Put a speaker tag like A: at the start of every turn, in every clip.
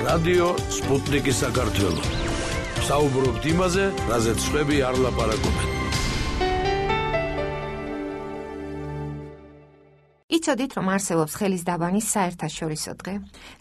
A: რადიო სპუტნიკი საქართველო. საუბრობთ იმაზე, რაზეც სხვები არ ლაპარაკობენ.
B: იცოდით, რომ არსებობს ხელის დაბანის საერთაშორისო დღე?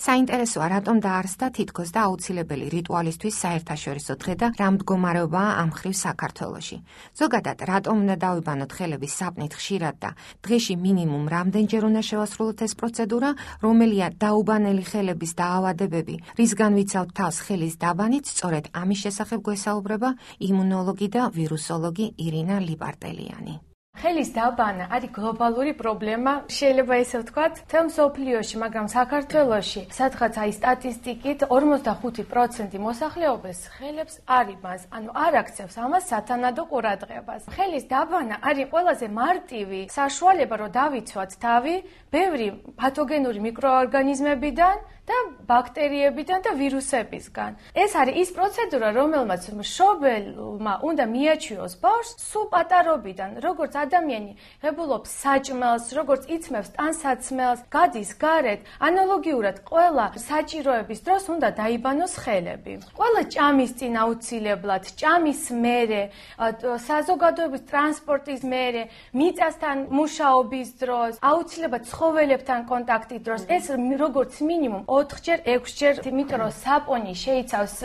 B: საინტერესოა, რატომ დაარსდა თითქოს და აუცილებელი რიტუალისთვის საერთაშორისო დღე და რა მდგომარეობაა ამ მხრივ საქართველოში? ზოგადად, რატომ უნდა დავიბანოთ ხელების საპნით ხშირად და დღეში მინიმუმ რამდენჯერ უნდა შევასრულოთ ეს პროცედურა? რომელია დაუბანელი ხელების დაავადებები, რისგან ვიცავთ თავს ხელის დაბანით? სწორედ ამის შესახებ გვესაუბრება იმუნოლოგი და ვირუსოლოგი ირინა ლიპარტელიანი.
C: ხელის დაბანა არის გლობალური პრობლემა, შეიძლება ესე ვთქვათ, მთელ მსოფლიოში, მაგრამ საქართველოში, სადღაც აი სტატისტიკით 45% მოსახლეობის ხელებს არ იბანს, ანუ არ აქცევს ამას სათანადო ყურადღებას. ხელის დაბანა არის ყველაზე მარტივი საშუალება, რომ დავიცვათ თავი ბევრი პათოგენური მიკროორგანიზმებიდან და ბაქტერიებიდან და ვირუსებისგან. ეს არის ის პროცედურა, რომელმაც მშობელმა უნდა მიაჩიოს ბავშვს სულ პატარობიდან, როგორც ადამიანი ღებულობს საჭმელს, როგორც იცმევს ტანსაცმელს, გადის გარეთ, ანალოგიურად ყველა საჭიროების დროს უნდა დაიბანოს ხელები. ყველა ჭამის წინ აუცილებლად, ჭამის მერე, საზოგადოების ტრანსპორტის მერე, მიწასთან მუშაობის დროს, აუცილებლად ცხოველებთან კონტაქტის დროს, ეს როგორც მინიმუმ 4-ჯერ, 6-ჯერ, იმიტომ რომ საპონი შეიცავს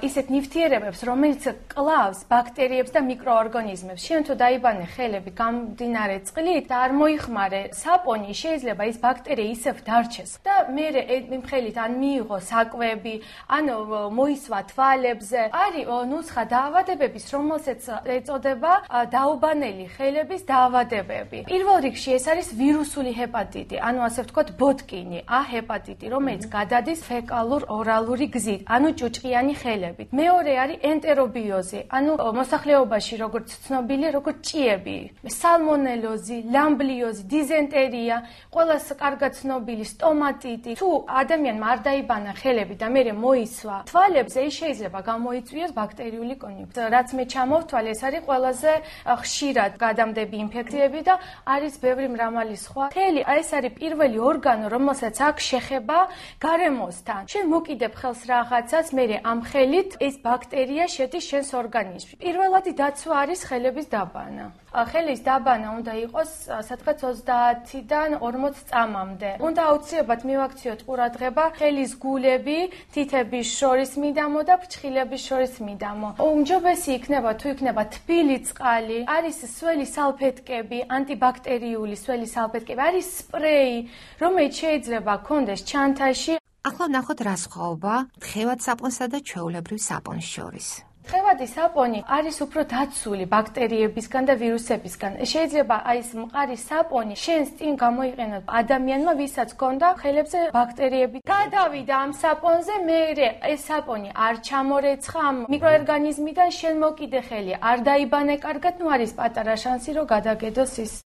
C: ისეთ ნივთიერებებს, რომელიც კლავს ბაქტერიებს და მიკროორგანიზმებს. შენ თუ დაიბანე ხელები გამდინარე წყლით და არ მოიხმარე საპონი, შეიძლება ის ბაქტერია ისევ დარჩეს და მერე იმ ხელით ან მიიღო საკვები, ან მოისვა თვალებზე. არის ნუსხა დაავადებების, რომელსაც ეწოდება დაუბანელი ხელების დაავადებები. პირველ რიგში ეს არის ვირუსული ჰეპატიტი, ანუ ასე ვთქვათ ბოტკინი, A ჰეპატიტი, რომელიც გადადის ფეკალურ-ორალური გზით, ანუ ჭუჭყიანი ხელებით. მეორე არის ენტერობიოზი, ანუ მოსახლეობაში როგორც ცნობილი, როგორც ჭიები. სალმონელოზი, ლამბლიოზი, დიზენტერია, ყველას კარგად ცნობილი სტომატიტი. თუ ადამიანმა არ დაიბანა ხელები და მერე მოისვა თვალებზე, ის შეიძლება გამოიწვიოს ბაქტერიული კონიუნქტივიტი. რაც მე ჩამოვთვალე, ეს არის ყველაზე ხშირად გადამდები ინფექციები და არის ბევრი მრავალი სხვა. ხელი, ეს არის პირველი ორგანო, რომელსაც აქვს შეხება გარემოსთან. შენ მოკიდებ ხელს რაღაცას, მერე ამ ხელით ეს ბაქტერია შედის შენს ორგანიზმში. პირველადი დაცვა არის ხელების დაბანა. ხელის დაბანა უნდა იყოს სადღაც 30-დან 40 წამამდე. უნდა აუცილებლად მივაქციოთ ყურადღება ხელის გულები, თითების შორის მიდამო და ფრჩხილების შორის მიდამო. უმჯობესი იქნება თუ იქნება თბილი წყალი, არის სველი სალფეტკები, ანტიბაქტერიული სველი სალფეტკები, არის სპრეი, რომელიც შეიძლება გქონდეს ჩანთაში.
B: ახლა ვნახოთ რა სხვაობა თხევად საპონსა და ჩვეულებრივ საპონს შორის.
C: თხევადი საპონი არის უფრო დაცული ბაქტერიებისგან და ვირუსებისგან. შეიძლება აი ეს მყარი საპონი შენს წინ გამოიყენოს ადამიანმა, ვისაც ჰქონდა ხელებზე ბაქტერიები. გადავიდა ამ საპონზე, მერე ეს საპონი არ ჩამორეცხა ამ მიკროორგანიზმიდან, შენ მოკიდე ხელი, არ დაიბანე კარგად, ნუ არის პატარა შანსი, რომ გადაგედოს ის